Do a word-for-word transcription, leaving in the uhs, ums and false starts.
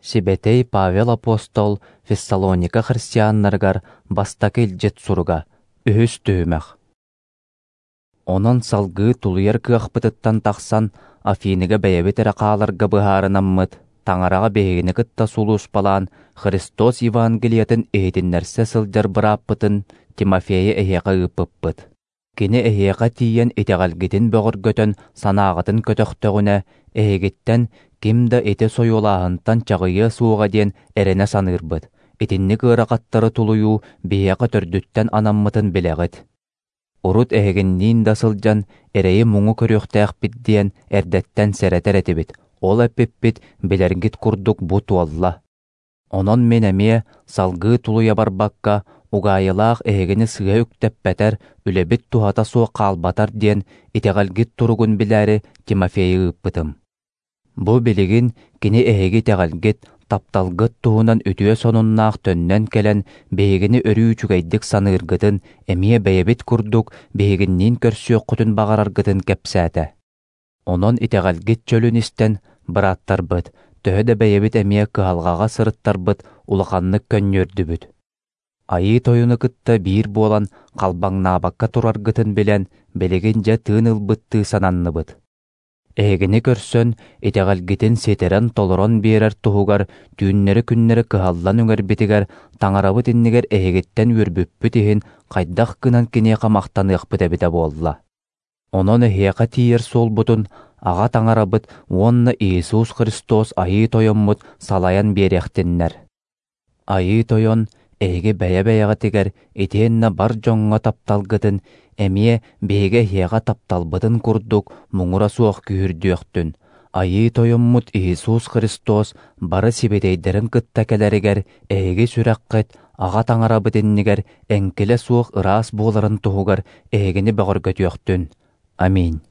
Сибэтэй Павел апостол Фессалоника христианнарыгар бастакы илдьит суруга, үһүс түһүмэх. Онон салгыы тулуйар кыахпытыттан тахсан, Афиныга бэйэбит эрэ хааларга быһаарынаммыт, Таҥараҕа биһигини кытта сулууспалаан Христос Евангелиетын иһитиннэрсэ сылдьар бырааппытын Тимофейы эһиэхэ ыыппыппыт. Кини эһиэхэ тиийэн итэҕэлгитин бөҕөргөтөн санааҕытын көтөхтөҕүнэ, эһигиттэн ким да ити сойуолааһынтан чаҕыйыа суоҕа диэн эрэнэ саныырбыт. Итинник ыарахаттары тулуйуу биһиэхэ төрдүттэн анаммытын билэҕит. Урут эһигинниин да сылдьан эрэйи-муҥу көрүөхтээхпит диэн эрдэттэн сэрэтэр этибит. Ол эппиппит билэргит курдук бу туолла. Онон мин эмиэ салгыы тулуйа барбакка, угаайылаах эһигини сыыһа үктэппэтэр, үлэбит туһата суох хаалбатар диэн итэҕэлгит туругун билээри Тимофейы ыыппытым. Бу билигин кини эһиги итэҕэлгит, тапталгыт туһунан үтүө сонуннаах төннөн кэлэн биһигини өрүү үчүгэйдик саныыргытын, эмиэ бэйэбит курдук биһигинниин көрсүөххүтүн баҕараргытын кэпсээтэ. Онон итэҕэлгит чөлүн истэн, бырааттарбыт, төһө да бэйэбит эмиэ кыһалҕаҕа сырыттарбыт улаханнык көнньүөрдүбүт. Айыы Тойону кытта биир буолан халбаҥнаабакка тураргытын билэн, билигин дьэ тыын ылбыттыы сананныбыт. Эһигини көрсөн, итэҕэлгитин ситэрэн-толорон биэрэр туһугар түүннэри-күннэри кыһаллан үҥэрбитигэр Таҥарабыт иннигэр эһигиттэн үөрбүппүт иһин хайдах гынан киниэхэ махтаныахпыт эбитэ буолла. Онон эһиэхэ тиийэр суолбутун Аҕа Таҥарабыт уонна Иисус Христос Айыы Тойоммут салайан биэриэхтиннэр. Айыы Тойон эһиги бэйэ-бэйэҕитигэр итиэннэ бар дьоҥҥо тапталгытын эмиэ биһиги эһиэхэ тапталбытын курдук муҥура суох күүһүрдүөхтүн. Айыы Тойоммут Иисус Христос бары сибэтиэйдэрин кытта кэлэригэр эһиги сүрэххит Аҕа Таҥарабыт иннигэр эҥкилэ суох ыраас буоларын туһугар эһигини бөҕөргөтүөхтүн. Аминь.